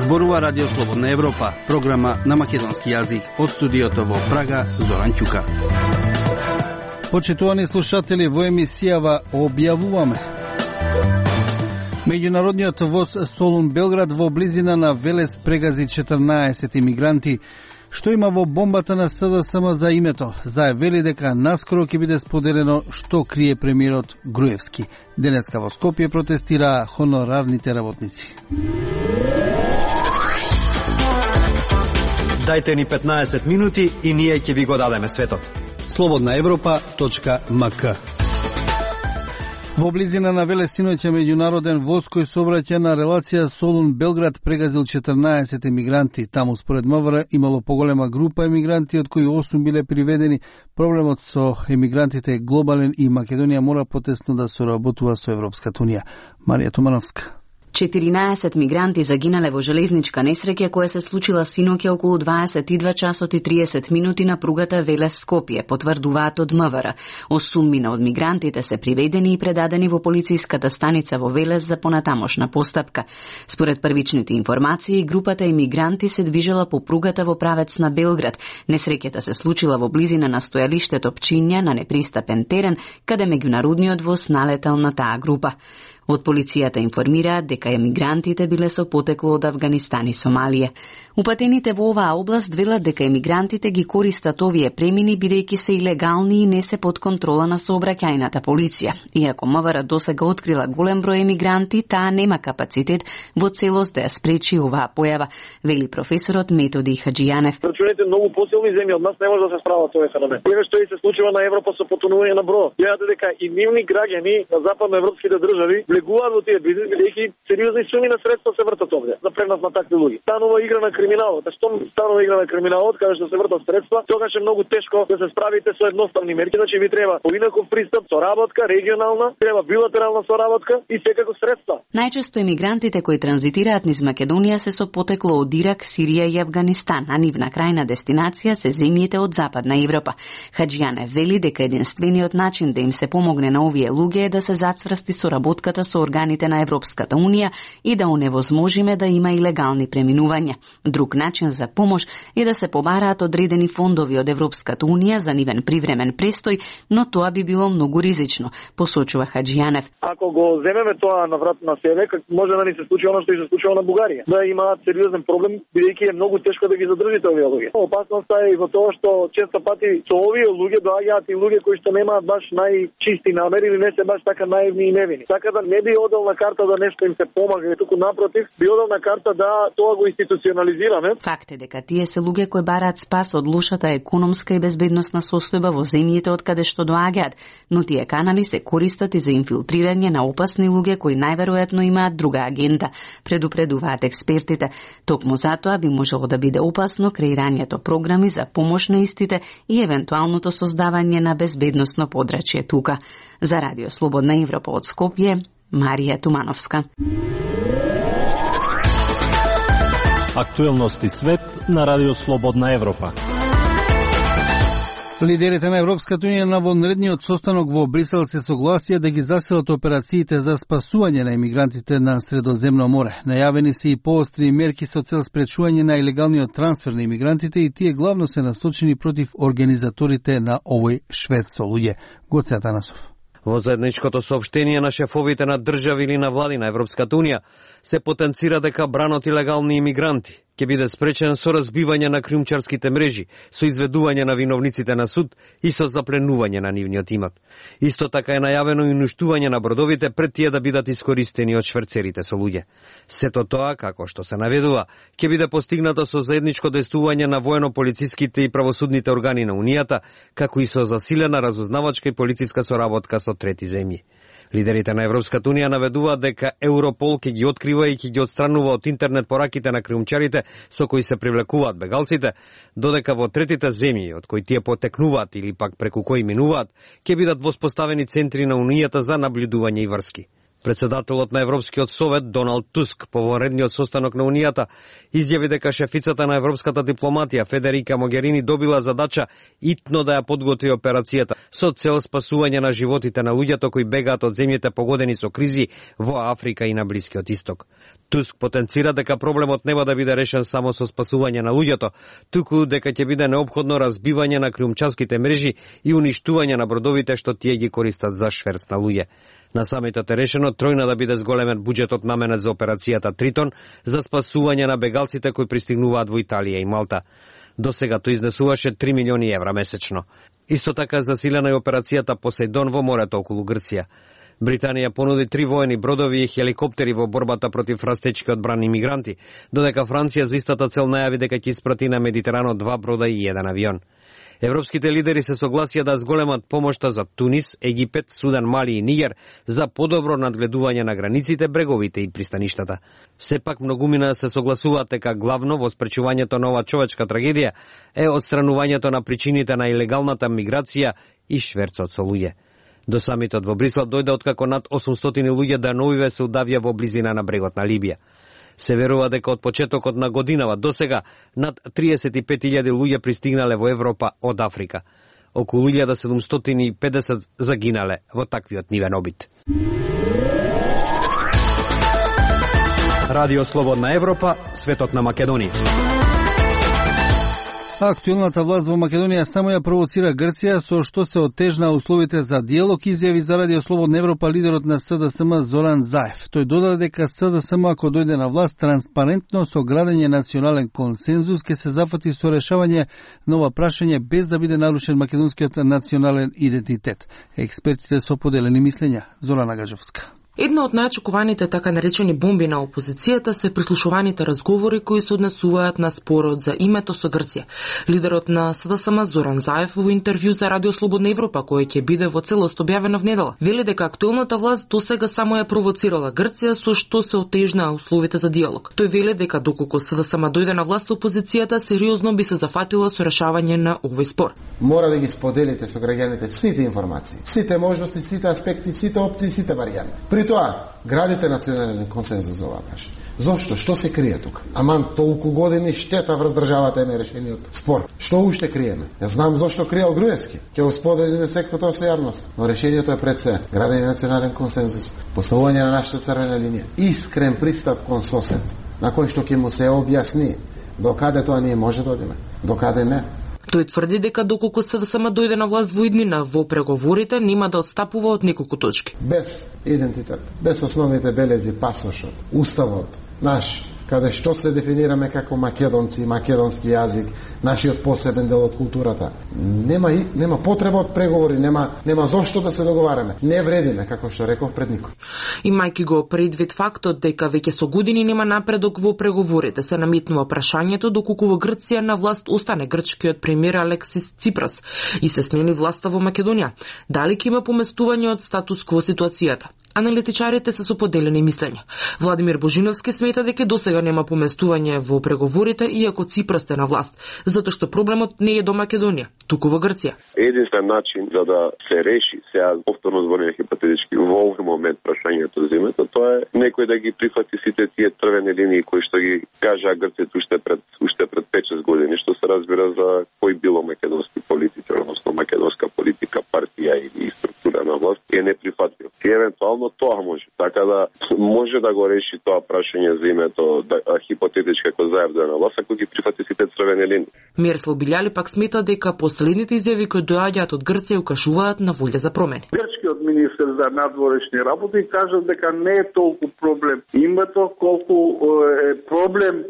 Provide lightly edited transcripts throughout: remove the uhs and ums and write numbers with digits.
Зборува Радио Слободна Европа, програма на македонски јазик од студиото во Прага, Зоран Ќука. Почитувани слушатели, во емисијава објавуваме: меѓународниот воз Солун Белград во близина на Велес прегази 14 имигранти. Што има во бомбата на СДСМ за името? Зајавили дека наскоро ќе биде споделено што крие премиерот Груевски. Денеска во Скопје протестираа хонорарните работници. Дајте ни 15 минути и ние ќе ви го дадеме светот. slobodnaevropa.mk. Во близина на Велес синоќа меѓународен воз кој сообраќа на релација Солун Белград прегазил 14 емигранти. Таму според МВР имало поголема група емигранти, од кои 8 биле приведени. Проблемот со емигрантите е глобален и Македонија мора потесно да соработува со Европската унија. Марија Тумановска. 14 мигранти загинале во железничка несреќа која се случила синоќа околу 22 часот и 30 минути на пругата Велес-Скопје, потврдуваат од МВР. 8 од мигрантите се приведени и предадени во полициската станица во Велес за понатамошна постапка. Според првичните информации, групата емигранти се движела по пругата во правец на Белград. Несреќата се случила во близина на стојалиштето Пчиња на непристапен терен, каде меѓународниот воз налетал на таа група. Од полицијата информираат дека емигрантите биле со потекло од Авганистан и Сомалија. Упатените во оваа област велат дека емигрантите ги користат овие премини бидејќи се илегални и не се под контрола на сообраќајната полиција. Иако МВР досега открила голем број емигранти, таа нема капацитет во целост да ја спречи оваа појава, вели професорот Методи Хаджијанев. Рачуните многу посилни земји од нас не може да се справат овој феномен. Еве што и се случува на Европа со потонување на број. Гледате дека и нивни граѓани на западноевропските држави влегуваат во тие бизнис, бидејќи сериозни суми на средства се вртат овде за пренос на такви луѓе. Станува игра на криминалот. А што станува игра на криминалот, каде што се вртат средства, тогаш е многу тешко да се справите со едноставни мерки. Значи ви треба поинаков пристап, соработка, регионална, треба билатерална соработка и секако средства. Најчесто емигрантите кои транзитираат низ Македонија се со потекло од Ирак, Сирија и Авганистан, а нивна крајна дестинација се земјите од Западна Европа. Хаджијане вели дека единствениот начин да им се помогне на овие луѓе е да се зацврсти соработката со органите на Европската унија и да оневозможиме да има илегални преминувања. Друг начин за помош е да се побараат одредени фондови од Европската унија за нивен привремен престој, но тоа би било многу ризично, посочува Хаджијанев. Ако го земеме тоа на врат на себе, може да ни се случи оно што и се случува на Бугарија. Да имаат сериозен проблем, бидејќи е многу тешко да ги задржите овие луѓе. Опасноста е и во тоа што често пати со овие луѓе доаѓаат и луѓе кои што немаат баш најчисти намери или не се баш така наивни и невини. Така да не би одел на карта да нешто им се помага, туку напротив, би одел на карта да тоа го институционализираме. Факт е дека тие се луѓе кои бараат спас од лошата економска и безбедносна состојба во земјите од каде што доаѓаат, но тие канали се користат и за инфилтрирање на опасни луѓе кои најверојатно имаат друга агенда, предупредуваат експертите. Токму затоа би можело да биде опасно креирањето програми за помош на истите и евентуалното создавање на безбедносно подрачје тука. За Радио Слободна Европа од Скопје, Марија Тумановска. Актуелности свет на Радио Слободна Европа. Лидерите на Европската унија на вонредниот состанок во Брисел се согласија да ги засилат операциите за спасување на емигрантите на Средоземно море. Најавени се и поостри мерки со цел спречување на илегалниот трансфер на емигрантите и тие главно се насочени против организаторите на овој швед со луѓе. Гоце Атанасов. Во заедничкото соопштение на шефовите на држави или на влади на Европската унија се потенцира дека бранот илегални имигранти ќе биде спречен со разбивање на криумчарските мрежи, со изведување на виновниците на суд и со запленување на нивниот имот. Исто така е најавено и уништување на бродовите пред тие да бидат искористени од шверцерите со луѓе. Сето тоа, како што се наведува, ќе биде постигнато со заедничко действување на воено-полициските и правосудните органи на Унијата, како и со засилена разузнавачка и полициска соработка со трети земји. Лидерите на Европската унија наведуваат дека Европол ќе ги открива и ќе ги отстранува од интернет пораките на криумчарите со кои се привлекуваат бегалците, додека во третите земји од кои тие потекнуваат или пак преку кои минуваат, ќе бидат воспоставени центри на Унијата за наблюдување и врски. Председателот на Европскиот совет Доналд Туск по вонредниот состанок на Унијата изјави дека шефицата на европската дипломатија Федерика Могерини добила задача итно да ја подготви операцијата со цел спасување на животите на луѓето кои бегаат од земјите погодени со кризи во Африка и на Блискиот Исток. Туск потенцира дека проблемот нема да биде решен само со спасување на луѓето, туку дека ќе биде неопходно разбивање на криумчарските мрежи и уништување на бродовите што тие ги користат за шверц на луѓе. На самитот е решено тројна да биде зголемен буџетот наменет за операцијата Тритон за спасување на бегалците кои пристигнуваат во Италија и Малта. До сега тој изнесуваше 3 милиони евра месечно. Исто така засилена е операцијата Посейдон во морето околу Грција. Британија понуди 3 воени бродови и хеликоптери во борбата против растечки одбрани мигранти, додека Франција за истата цел најави дека ќе испрати на Медитеранот 2 брода и 1 авион. Европските лидери се согласија да зголемат помошта за Тунис, Египет, Судан, Мали и Нигер за подобро надгледување на границите, бреговите и пристаништата. Сепак многумина се согласуваат дека главно во спречувањето на оваа човечка трагедија е отстранувањето на причините на илегалната миграција и шверцот со луѓе. До самитот во Брисел дојде откако над 800 луѓе деновиве се удавија во близина на брегот на Либија. Се верува дека од почетокот на годинава до сега над 35.000 луѓе пристигнале во Европа од Африка. Околу 1750 загинале во таквиот нивен обид. Радио Слободна Европа, светот на Македонија. Актуелната власт во Македонија само ја провоцира Грција, со што се оттежна условите за диалог, изјави за Радио Слободна Европа лидерот на СДСМ Зоран Заев. Тој додаде дека СДСМ ако дојде на власт транспарентно со градење национален консензус ќе се зафати со решавање на ова прашање без да биде нарушен македонскиот национален идентитет. Експертите со поделени мислења. Зорана Гажовска. Една од најочекуваните така наречени бомби на опозицијата се прислушуваните разговори кои се однесуваат на спорот за името со Грција. Лидерот на СДСМ Зоран Заев во интервју за Радио Слободна Европа, кој ќе биде во целост објавено внедела, вели дека актуелната власт досега само ја провоцирала Грција со што се отежнаа условите за диалог. Тој вели дека доколку СДСМ дојде на власт, опозицијата сериозно би се зафатила со решавање на овој спор. Мора да ги споделите со граѓаните сите информации, сите можности, сите аспекти, сите опции, сите варијанти. При тоа, градите национален консензус за оваа прашање. Зошто? Што се крие тука? Аман толку години штета врз државата е нерешениот спор. Што уште криеме? Ја знам зошто криел Груевски. Ќе го споделиме секој тоа со јавност. Но решението е пред се. Градење национален консензус, поставување на нашата црвена линија, искрен пристап кон сосед, на кој што ќе му се објасни докаде тоа ние може да одиме, докаде не. Тој тврди дека доколку СДСМ дојде на власт во иднина во преговорите нема да отстапува од неколку точки. Без идентитет, без основните белези, пасошот, уставот наш, каде што се дефинираме како македонци, македонски јазик, нашиот посебен дел од културата. Нема потреба од преговори, нема зошто да се договараме. Не вредиме, како што реков пред никој. Имајќи го предвид фактот дека веќе со години нема напредок во преговорите, се намитнува прашањето доколку во Грција на власт остане грчкиот премиер Алексис Ципрас и се смени власта во Македонија. Дали ќе има поместување од статус кво ситуацијата? Аналитичарите се со поделени мислења. Владимир Божиновски смета дека досега нема поместување во преговорите иако Ципрас е на власт, затоа што проблемот не е до Македонија, туку во Грција. Единствен начин за да се реши, сега повторно зборувам хипотетички, во овој момент прашањето за името, тоа е некој да ги прифати сите тие црвени линии кои што ги кажа Грција уште пред 5-6 години, што се разбира за кој било македонски политичар, односно македонска политика, партија или структура на власт, е неприфатлив. И евентуално тоа може. Така да може да го реши тоа прашање за името хипотетички како заедно на власт, ако ги прифати сите црвени линии. Мирослав Билјали пак смета дека последните изјави кои доаѓаат од Грција укажуваат на волја за промени. Грчкиот министер за надворешни работи кажа дека не е толку проблем името, колку е проблем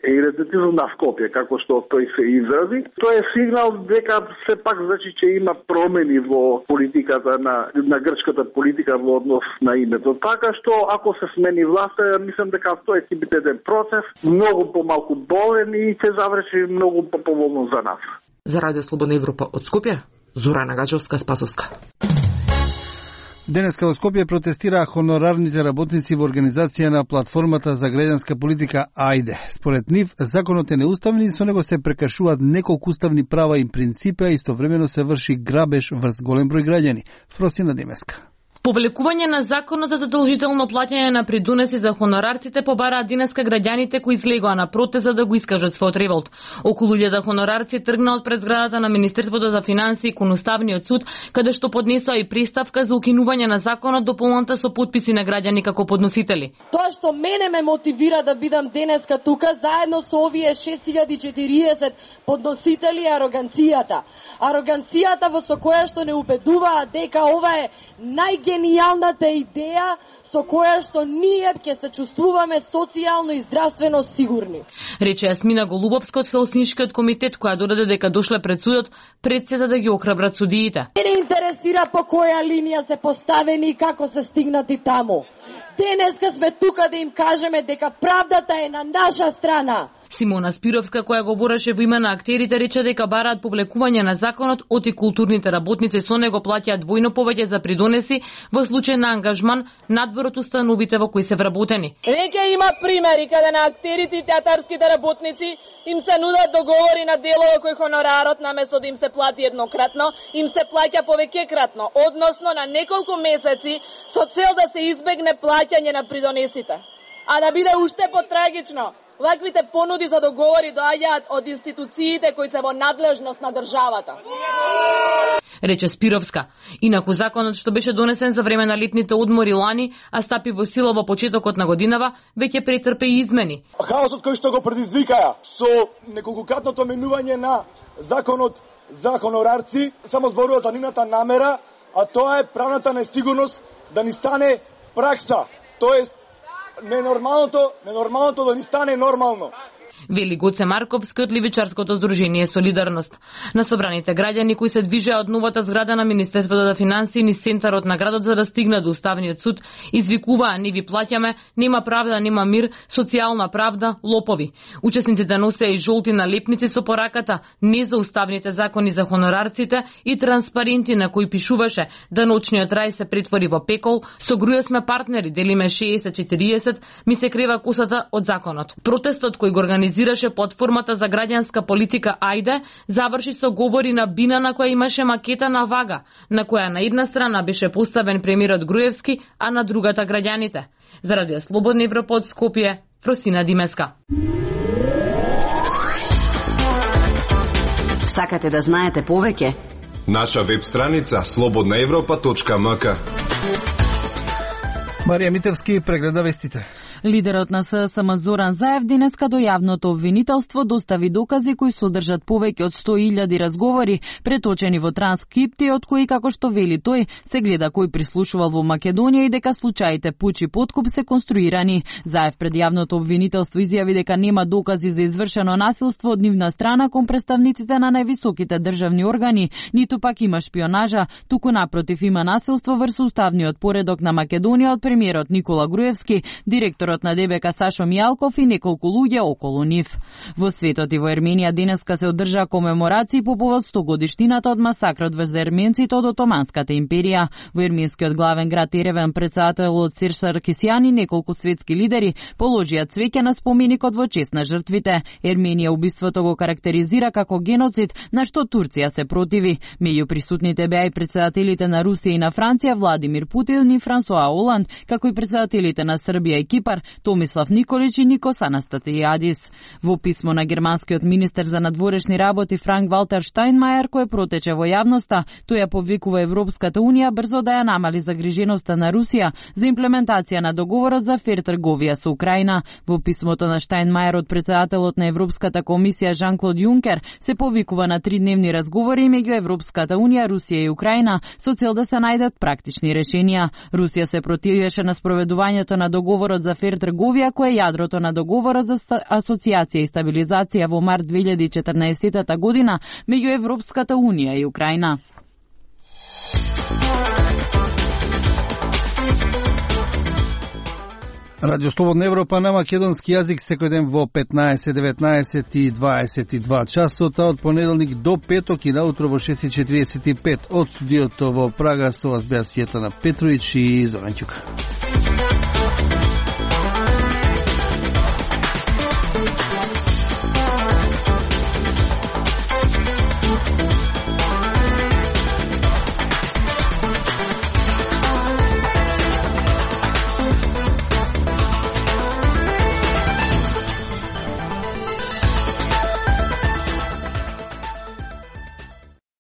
идентитетот на Скопје, како што тој се изрази. Тоа е сигнал дека се пак значи че има промени во политиката на грчката политика во однос на името. Така што ако се смени власта, мислам дека тоа ќе биде еден процес многу помалку болен и ќе заврши многу поповолно за нас. За Радио Слободна Европа од Скопје, Зорана Гачовска, Спасовска. Денеска во Скопје протестираа хонорарните работници во организација на платформата за граѓанска политика АјДЕ. Според нив, законот е неуставен и со него се прекршуваат неколку уставни права и принципи, а истовремено се врши грабеж врз голем број граѓани. Фросина Демеска. Повлекување на законот за задолжително плаќање на придонеси за хонорарците побараат денеска граѓаните кои излегоа на протест за да го искажат својот револт. Околу 1000 хонорарци тргнаат пред зградата на Министерството за финансии кон Уставниот суд, каде што поднесоа и приставка за укинување на законот дополната со потписи на граѓани како подносители. Тоа што мене ме мотивира да бидам денеска тука заедно со овие 6040 подносители е ароганцијата. Ароганцијата во со која што не убедуваат дека ова е најгенијалната идеја со која што ние ќе се чувствуваме социјално и здравствено сигурни. Рече Јасмина Голубовска од Хелсиншкиот комитет, која додаде дека дошле пред судот пред се за да ги охрабрат судиите. Не интересира по која линија се поставени и како се стигнати таму. Денеска сме тука да им кажеме дека правдата е на наша страна. Симона Спировска, која говореше во име на актерите, рече дека бараат повлекување на законот, оти културните работници со него плаќаат двојно повеќе за придонеси во случај на ангажман надвор од установите во кои се вработени. Веќе има примери каде на актерите и театарските работници им се нудат договори на делово кој хонорарот наместо да им се плати еднократно, им се плаќа повеќекратно, односно на неколку месеци со цел да се избегне плаќање на придонесите. А да биде уште потрагично, ваквите понуди за договори доаѓаат од институциите кои се во надлежност на државата. Рече Спировска. Инаку законот што беше донесен за време на летните одмори лани, а стапи во сила во почетокот на годинава, веќе претрпе измени. Хаосот кој што го предизвикаја со неколкократното менување на законот за хонорарци само зборува за нивната намера, а тоа е правната несигурност да ни стане пракса, тоест ненормалното да ни стане нормално. Вели Гоце Марковски од Ливичарското здружение Солидарност. На собраните граѓани кои се движеа од новата зграда на Министерството за финансии низ центарот на градот за да стигнат до Уставниот суд, извикуваа: "Не ви плаќаме, нема правда, нема мир, социјална правда, лопови." Учесниците носеа и жолти налепници со пораката "Не за уставните закони за хонорарците" и транспаренти на кои пишуваше да ноќниот рај се претвори во пекол, со груја сме партнери, делиме 60-40, ми се крева косата од законот. Протестот кој го организираше платформата за граѓанска политика Ајде заврши со говори на бина на која имаше макета на вага, на која на една страна беше поставен премиерот Груевски, а на другата граѓаните. За Радио Слободна Европа од Скопје, Фросина Димеска. Сакате да знаете повеќе? Наша веб страница slobodnaevropa.mk. Марија Митевски прегледа вестите. Лидерот на ССМ Зоран Заев денеска до јавното обвинителство достави докази кои содржат повеќе од 100.000 разговори, преточени во транскрипти, од кои, како што вели тој, се гледа кој прислушувал во Македонија и дека случаите пуч и подкуп се конструирани. Заев пред јавното обвинителство изјави дека нема докази за извршено насилство од нивна страна кон представниците на највисоките државни органи, ниту пак има шпионажа, туку напротив има насилство врз уставниот поредок на Македонија од премиерот Никола Груевски, директорот на ДБК Сашо Мијалков и неколку луѓе околу нив. Во светот и во Ерменија денеска се одржаа комеморации по повод 100 годишнината од масакрот врз ерменците од Отоманската империја. Во ерменскиот главен град Ереван претседателот Серж Саркисјан и неколку светски лидери положија цвеќе на споменикот во чест на жртвите. Ерменија убиството го карактеризира како геноцид, на што Турција се противи. Меѓу присутните беа и претседателите на Русија и на Франција Владимир Путин и Франсуа Оланд, како и претседателите на Србија и Кипар Томислав Николич и Никос Анастасијадис. Во писмо на германскиот министер за надворешни работи Франк Валтер Штајнмајер, кој протече во јавноста, тој ја повикува Европската унија брзо да ја намали загриженоста на Русија за имплементација на договорот за фер трговија со Украина. Во писмото на Штајнмајер од претседателот на Европската комисија Жан-Клод Јункер се повикува на 3-дневни разговори меѓу Европската унија, Русија и Украина со цел да се најдат практични решенија. Русија се противеше на спроведувањето на договорот за фер трговија, кој е јадрото на договорот за асоциација и стабилизација во март 2014 година меѓу Европската унија и Украина. Радио Слободна Европа на македонски јазик секој ден во 15, 19 и 22 часот, а од понеделник до петок и наутро во 6:45 од студиото во Прага со вас беа Светлана Петровиќ и Зоран Ќука.